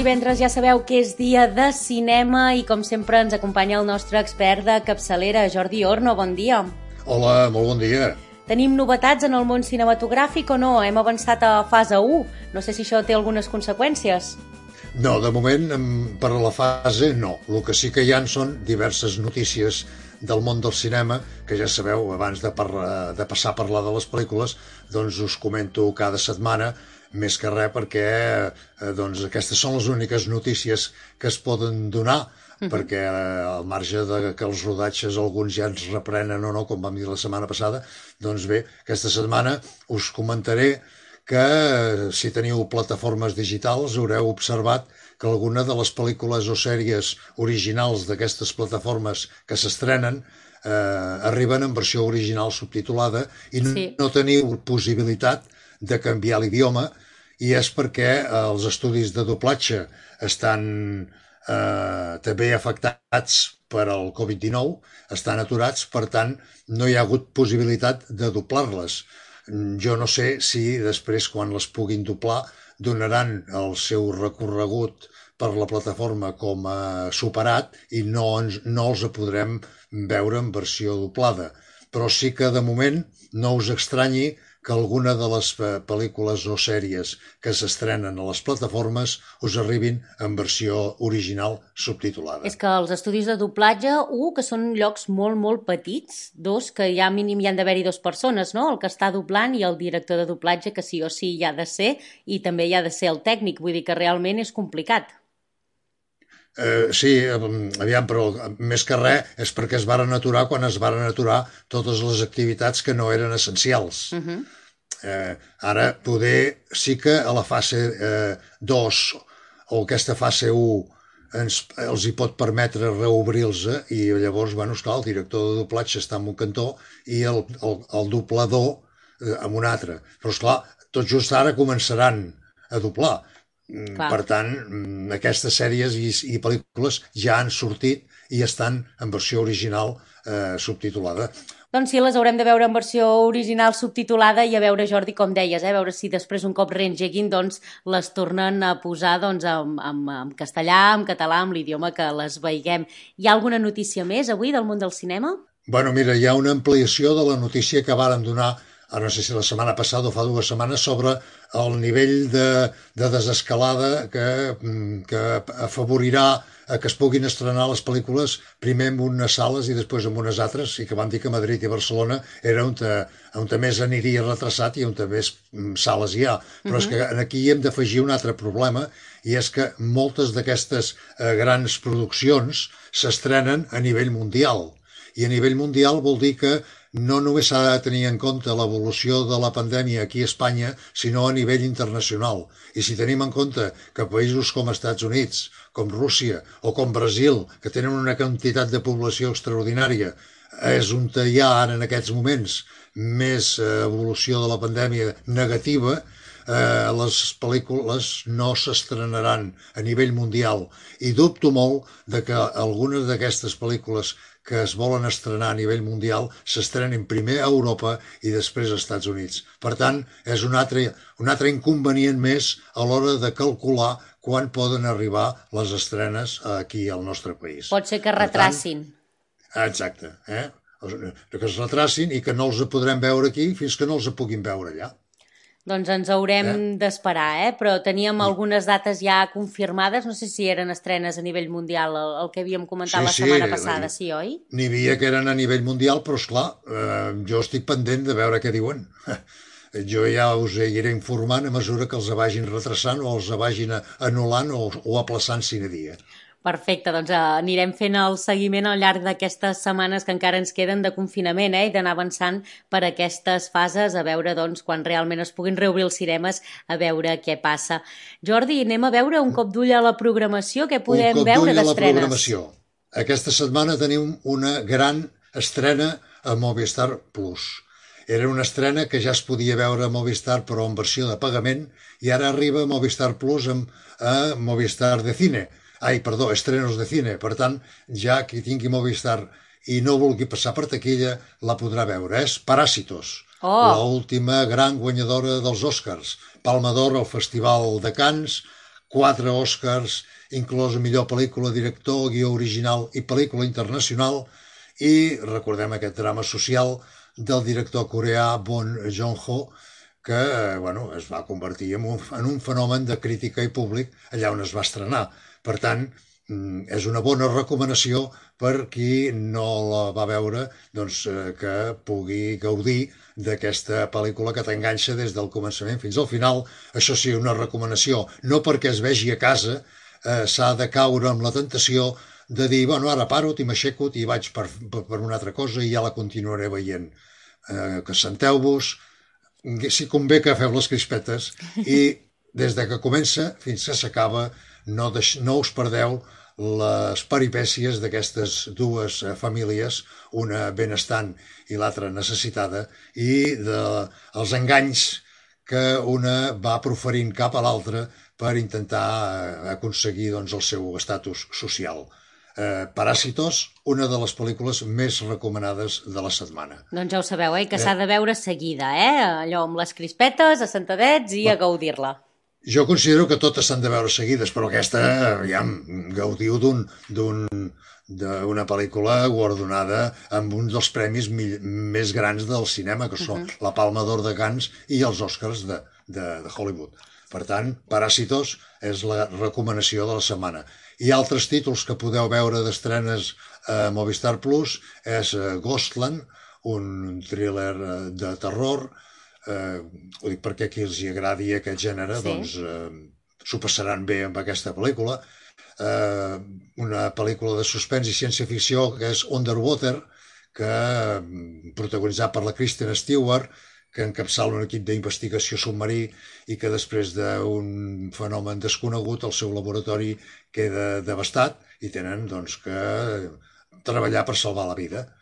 divendres ja sabeu que és dia de cinema i com sempre ens acompanya el nostre expert de capçalera, Jordi Orno. Bon dia. Hola, molt bon dia. Tenim novetats en el món cinematogràfic o no? Hem avançat a fase 1. No sé si això té algunes conseqüències. No, de moment, per a la fase, no. El que sí que hi ha són diverses notícies del món del cinema, que ja sabeu, abans de passar a parlar de les pel·lícules, doncs us comento cada setmana, més que res perquè doncs, aquestes són les úniques notícies que es poden donar, perquè al marge de que els rodatges alguns ja ens reprenen o no, com vam dir la setmana passada, doncs bé, aquesta setmana us comentaré que si teniu plataformes digitals haureu observat que alguna de les pel·lícules o sèries originals d'aquestes plataformes que s'estrenen arriben en versió original subtitulada i no teniu possibilitat de canviar l'idioma, i és perquè els estudis de doblatge estan també afectats per al Covid-19, estan aturats, per tant no hi ha hagut possibilitat de doblar-les. Jo no sé si després, quan les puguin doblar, donaran el seu recorregut per la plataforma com a superat i no els podrem veure en versió doblada. Però sí que, de moment, no us estranyi que alguna de les pel·lícules o sèries que s'estrenen a les plataformes us arribin en versió original subtitulada. És que els estudis de doblatge, que són llocs molt, molt petits, que ja mínim hi han d'haver-hi 2 persones, no? El que està doblant i el director de doblatge, que sí o sí hi ha de ser, i també hi ha de ser el tècnic, vull dir que realment és complicat. Sí, aviam, però més que res és perquè es varen aturar quan es varen aturar totes les activitats que no eren essencials. Ara, poder sí que a la fase 2 o aquesta fase 1 els hi pot permetre reobrir-los i llavors, bueno, esclar, el director de doblatge està en un cantó i el doblador en un altre. Però, esclar, tot just ara començaran a doblar. Per tant, aquestes sèries i pel·lícules ja han sortit i estan en versió original subtitulada. Doncs sí, les haurem de veure en versió original subtitulada i a veure, Jordi, com deies, a veure si després un cop reengeguin doncs, les tornen a posar doncs, en castellà, en català, en l'idioma que les veiguem. Hi ha alguna notícia més avui del món del cinema? Bueno, mira, hi ha una ampliació de la notícia que varen donar, ara no sé si la setmana passada o fa 2 setmanes, sobre el nivell de desescalada que afavorirà que es puguin estrenar les pel·lícules primer en unes sales i després en unes altres, i que van dir que Madrid i Barcelona era on més aniria retrasat i on més sales hi ha. Però és que aquí hi hem d'afegir un altre problema, i és que moltes d'aquestes grans produccions s'estrenen a nivell mundial. I a nivell mundial vol dir que no només s'ha de tenir en compte l'evolució de la pandèmia aquí a Espanya, sinó a nivell internacional. I si tenim en compte que països com Estats Units, com Rússia o com Brasil, que tenen una quantitat de població extraordinària, és on hi ha ara en aquests moments més evolució de la pandèmia negativa, les pel·lícules no s'estrenaran a nivell mundial. I dubto molt de que algunes d'aquestes pel·lícules que es volen estrenar a nivell mundial s'estrenin primer a Europa i després als Estats Units. Per tant, és un altre inconvenient més a l'hora de calcular quan poden arribar les estrenes aquí al nostre país. Pot ser que retracin. Exacte, que es retracin i que no els podrem veure aquí fins que no els puguin veure allà. Doncs ens haurem d'esperar, però teníem algunes dates ja confirmades, no sé si eren estrenes a nivell mundial, el que havíem comentat la setmana passada, sí, oi? N'hi havia que eren a nivell mundial, però esclar, jo estic pendent de veure què diuen. Jo ja us iré informant a mesura que els vagin retrasant o els vagin anul·lant o aplaçant sine dia. Perfecte, doncs anirem fent el seguiment al llarg d'aquestes setmanes que encara ens queden de confinament i d'anar avançant per aquestes fases a veure doncs, quan realment es puguin reobrir els cinemes, a veure què passa. Jordi, anem a veure un cop d'ull a la programació, què podem veure d'estrenes? Un cop d'ull a la programació. Aquesta setmana tenim una gran estrena a Movistar Plus. Era una estrena que ja es podia veure a Movistar però en versió de pagament i ara arriba a Movistar Plus a Movistar de Cine. Estrenos de cine. Per tant, ja qui tingui Movistar i no vulgui passar per taquilla, la podrà veure. És Parásitos, l'última gran guanyadora dels Oscars. Palma d'Or al Festival de Cannes, 4 Oscars, inclòs millor pel·lícula, director, guió original i pel·lícula internacional, i recordem aquest drama social del director coreà Bong Joon-ho, que es va convertir en un fenomen de crítica i públic allà on es va estrenar. Per tant, és una bona recomanació per qui no la va veure, doncs, que pugui gaudir d'aquesta pel·lícula que t'enganxa des del començament fins al final. Això sí, una recomanació, no perquè es vegi a casa, s'ha de caure amb la tentació de dir, bueno, ara paro, m'aixeco i vaig per una altra cosa i ja la continuaré veient. Que senteu-vos, si convé que feu les crispetes i des de que comença fins que s'acaba no us perdeu les peripècies d'aquestes dues famílies, una benestant i l'altra necessitada, i dels enganys que una va proferint cap a l'altra per intentar aconseguir el seu estatus social. Paràsitos, una de les pel·lícules més recomanades de la setmana. Doncs ja ho sabeu, que s'ha de veure seguida, allò amb les crispetes, assentadets i a gaudir-la. Jo considero que totes s'han de veure seguides, però aquesta, gaudiu d'una pel·lícula guardonada amb un dels premis més grans del cinema, que són la Palma d'Or de Cannes i els Oscars de Hollywood. Per tant, Paràsitos és la recomanació de la setmana. I altres títols que podeu veure d'estrenes a Movistar Plus és Ghostland, un thriller de terror. Ho dic perquè a qui els agradi aquest gènere, doncs s'ho passaran bé amb aquesta pel·lícula. Una pel·lícula de suspens i ciència-ficció que és Underwater, protagonitzat per la Kristen Stewart, que encapçala un equip d'investigació submarí i que després d'un fenomen desconegut el seu laboratori queda devastat i tenen que treballar per salvar la vida.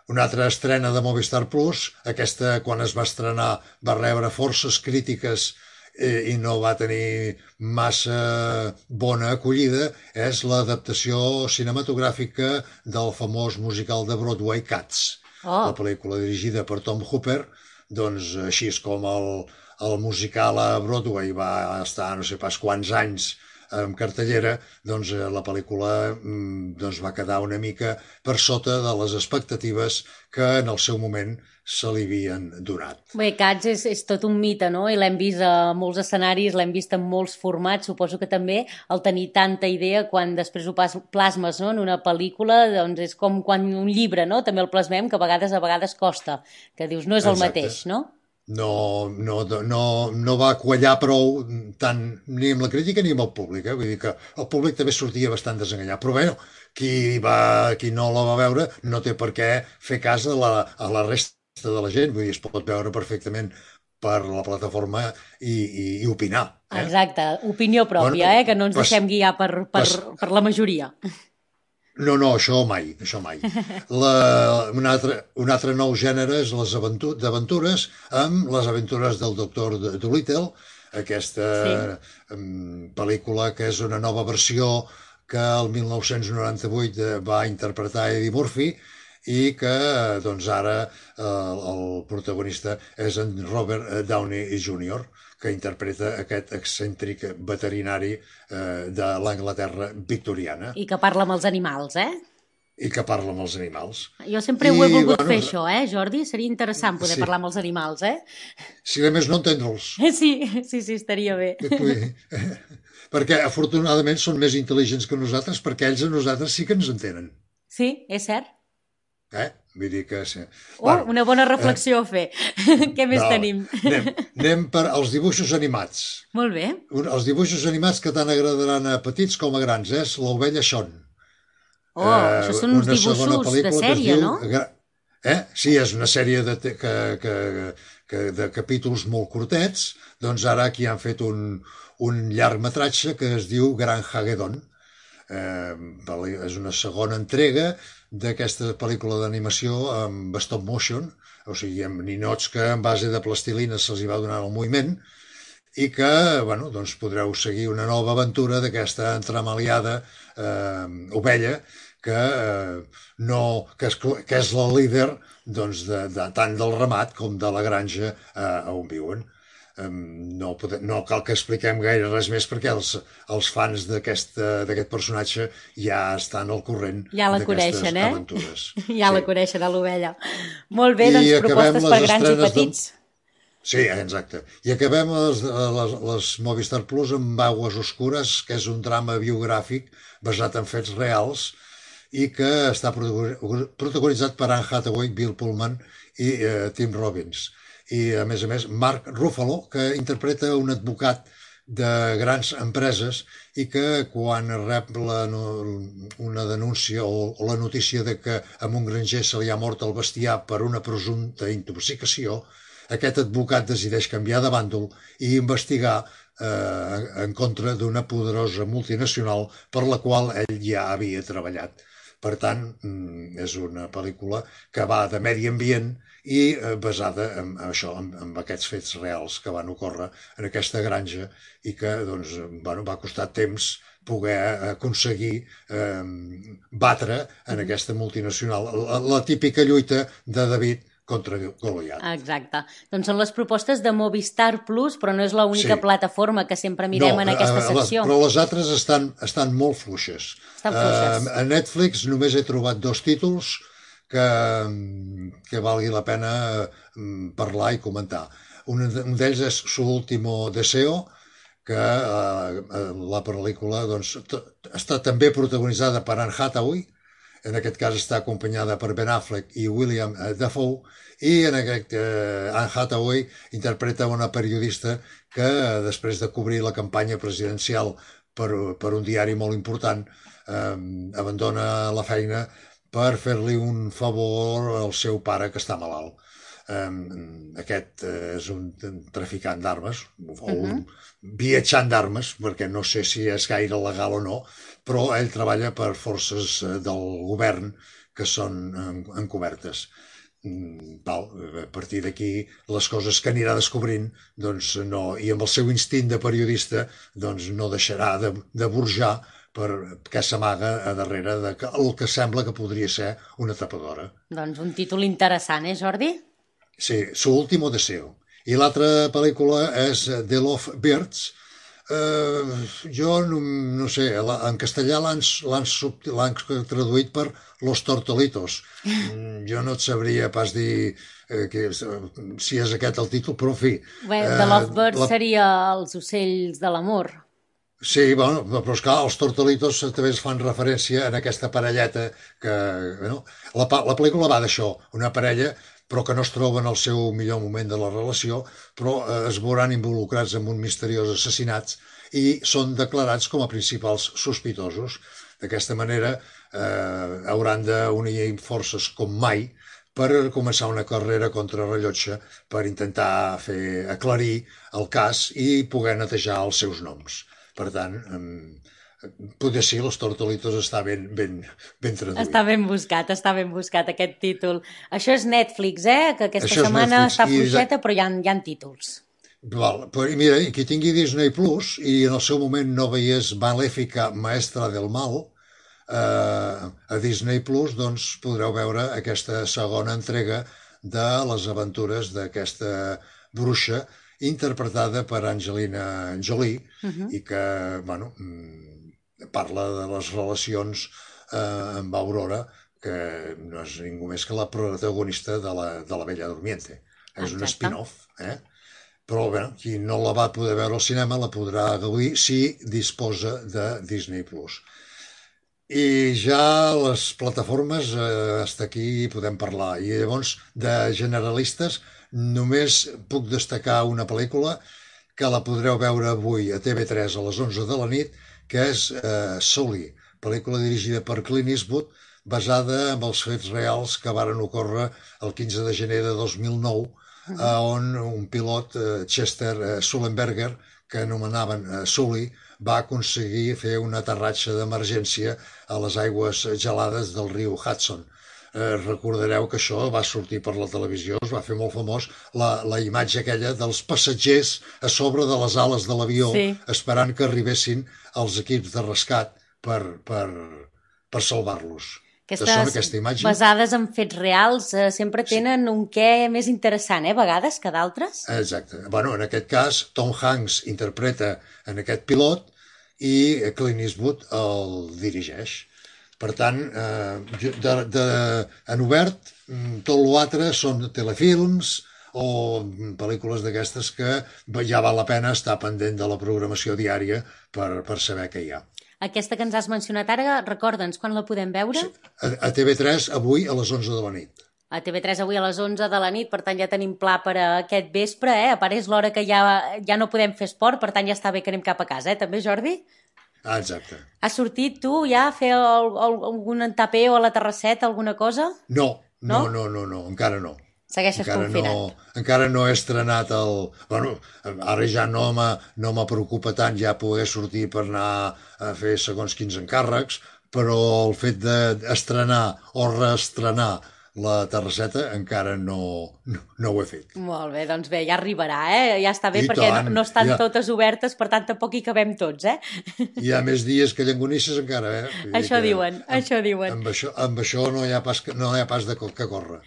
Una altra estrena de Movistar Plus, aquesta quan es va estrenar va rebre forces crítiques i no va tenir massa bona acollida, és l'adaptació cinematogràfica del famós musical de Broadway Cats. La pel·lícula dirigida per Tom Hooper, doncs així és com el musical a Broadway va estar no sé pas quants anys en cartellera, doncs la pel·lícula va quedar una mica per sota de les expectatives que en el seu moment se li havien donat. Bé, Cats és tot un mite, no? I l'hem vist a molts escenaris, l'hem vist en molts formats. Suposo que també el tenir tanta idea quan després ho plasmes en una pel·lícula, doncs és com quan un llibre, no? També el plasmem, que a vegades costa, que dius no és el mateix, no? No va quallar prou tant ni amb la crítica ni amb el públic. Vull dir que el públic també sortia bastant desenganyat. Però bé, qui no la va veure no té per què fer cas a la resta de la gent. Vull dir, es pot veure perfectament per la plataforma i opinar. Exacte, opinió pròpia, que no ens deixem guiar per la majoria. No, això mai. Un altre nou gènere és les d'aventures, amb les aventures del Doctor Dolittle, aquesta pel·lícula que és una nova versió que el 1998 va interpretar Eddie Murphy i que doncs ara el protagonista és en Robert Downey Jr., que interpreta aquest excèntric veterinari de l'Anglaterra victoriana. I que parla amb els animals, I que parla amb els animals. Jo sempre ho he volgut fer, això, Jordi? Seria interessant poder parlar amb els animals, Si de més no entendre'ls. Sí, estaria bé. Perquè, afortunadament, són més intel·ligents que nosaltres, perquè ells a nosaltres sí que ens entenen. Sí, és cert. Vull dir que... Sí. Una bona reflexió a fer. Què més tenim? Anem per als dibuixos animats. Molt bé. Els dibuixos animats que tant agradaran a petits com a grans, és l'Ovella Sean. Això són uns dibuixos de sèrie, no? Sí, és una sèrie de capítols molt curtets. Doncs ara aquí han fet un llargmetratge que es diu Gran Hagedon. És una segona entrega d'aquesta pel·lícula d'animació amb stop motion, o sigui, amb ninots que en base de plastilina se'ls va donar el moviment i que, doncs podreu seguir una nova aventura d'aquesta entremaliada ovella que és la líder doncs, tant del ramat com de la granja on viuen. no cal que expliquem gaire res més perquè els fans d'aquest personatge ja estan al corrent d'aquestes aventures. Ja la coneixen, a l'ovella. Molt bé, doncs propostes per grans i petits. Sí, exacte. I acabem les Movistar Plus amb Aguas Oscures, que és un drama biogràfic basat en fets reals i que està protagonitzat per Anne Hathaway, Bill Pullman i Tim Robbins. I, a més, Mark Ruffalo, que interpreta un advocat de grans empreses i que quan rep una denúncia o la notícia de que a un granger se li ha mort el bestiar per una presumpta intoxicació, aquest advocat decideix canviar de bàndol i investigar en contra d'una poderosa multinacional per la qual ell ja havia treballat. Per tant, és una pel·lícula que va de medi ambient i basada en això, en aquests fets reals que van ocórrer en aquesta granja i que va costar temps poder aconseguir batre en aquesta multinacional. La típica lluita de David contra Goliat. Exacte. Doncs són les propostes de Movistar Plus, però no és l'única plataforma que sempre mirem en aquesta secció. Però les altres estan molt fluixes. A Netflix només he trobat 2 títols que valgui la pena parlar i comentar. Un d'ells és Su último deseo, que la pel·lícula està també protagonitzada per Anne Hathaway, en aquest cas està acompanyada per Ben Affleck i William Dafoe, i en aquest Anne Hathaway interpreta una periodista que després de cobrir la campanya presidencial per un diari molt important abandona la feina per fer-li un favor al seu pare que està malalt. Aquest és un traficant d'armes o un viatjant d'armes, perquè no sé si és gaire legal o no, però ell treballa per forces del govern que són encobertes. A partir d'aquí, les coses que anirà descobrint, i amb el seu instint de periodista, no deixarà de burjar perquè s'amaga a darrere del que sembla que podria ser una tapadora. Doncs un títol interessant, Jordi? Sí, Su último deseo. I l'altra pel·lícula és The Love Birds. Jo no sé, en castellà l'han traduït per Los Tortolitos. Jo no et sabria pas dir si és aquest el títol, però en fi. The Love Birds seria els ocells de l'amor. Sí, però esclar, els Tortolitos també es fan referència en aquesta parelleta que... La pel·lícula va d'això, una parella però que no es troben al seu millor moment de la relació, però es veuran involucrats en un misteriós assassinat i són declarats com a principals sospitosos. D'aquesta manera hauran d'unir forces com mai per començar una carrera contrarrellotge per intentar fer aclarir el cas i poder netejar els seus noms. Per tant, potser sí, Los Tortolitos està ben traduït. Està ben buscat aquest títol. Això és Netflix, que aquesta setmana està fluixeta, però hi ha títols. Mira, qui tingui Disney Plus i en el seu moment no veiés Maléfica, Maestra del Mal, a Disney Plus podreu veure aquesta segona entrega de les aventures d'aquesta bruixa interpretada per Angelina Jolie i que, parla de les relacions amb Aurora, que no és ningú més que la protagonista de la Bella Durmiente. És un spin-off, Però, qui no la va poder veure al cinema la podrà gaudir si disposa de Disney+. I ja les plataformes, hasta aquí podem parlar. I llavors, de generalistes, només puc destacar una pel·lícula que la podreu veure avui a TV3 a les 11 de la nit, que és Sully, pel·lícula dirigida per Clint Eastwood, basada en els fets reals que varen ocórrer el 15 de gener de 2009, on un pilot, Chester Sullenberger, que anomenaven Sully, va aconseguir fer un aterratge d'emergència a les aigües gelades del riu Hudson. Recordareu que això va sortir per la televisió, es va fer molt famós la imatge aquella dels passatgers a sobre de les ales de l'avió, esperant que arribessin els equips de rescat per salvar-los. aquesta imatge. Basades en fets reals sempre tenen un què més interessant, a vegades, que d'altres. Exacte. Bueno, en aquest cas, Tom Hanks interpreta en aquest pilot i Clint Eastwood el dirigeix. Per tant, en obert, tot l'altre són telefilms o pel·lícules d'aquestes que ja val la pena estar pendent de la programació diària per saber què hi ha. Aquesta que ens has mencionat ara, recorda'ns, quan la podem veure? A TV3 avui a les 11 de la nit. A TV3 avui a les 11 de la nit, per tant ja tenim pla per a aquest vespre, A part és l'hora que ja no podem fer esport, per tant ja està bé que anem cap a casa, també, Jordi? Exacte. Has sortit tu ja a fer algun tapeo a la terrasseta, alguna cosa? No, encara no. Segueixes confinat. Encara no he estrenat el... Bueno, ara ja no me preocupa tant ja poder sortir per anar a fer segons quins encàrrecs, però el fet d'estrenar o reestrenar la terrasseta encara no ho he fet. Molt bé, doncs bé, ja arribarà, Ja està bé, perquè no estan totes obertes, per tant tampoc hi cabem tots, Hi ha més dies que llengonisses encara, Això diuen. Amb això no hi ha pas de que córrer.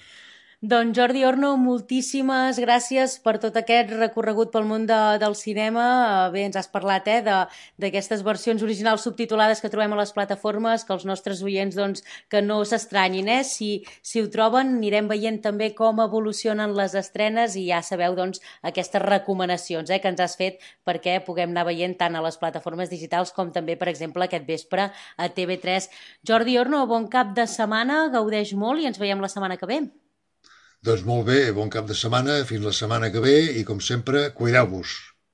Doncs Jordi Orno, moltíssimes gràcies per tot aquest recorregut pel món del cinema. Bé, ens has parlat d'aquestes versions originals subtitulades que trobem a les plataformes, que els nostres oients doncs, que no s'estranyin. Si ho troben, anirem veient també com evolucionen les estrenes i ja sabeu doncs, aquestes recomanacions que ens has fet perquè puguem anar veient tant a les plataformes digitals com també, per exemple, aquest vespre a TV3. Jordi Orno, bon cap de setmana, gaudeix molt i ens veiem la setmana que ve. Doncs molt bé, bon cap de setmana, fins la setmana que ve i, com sempre, cuideu-vos.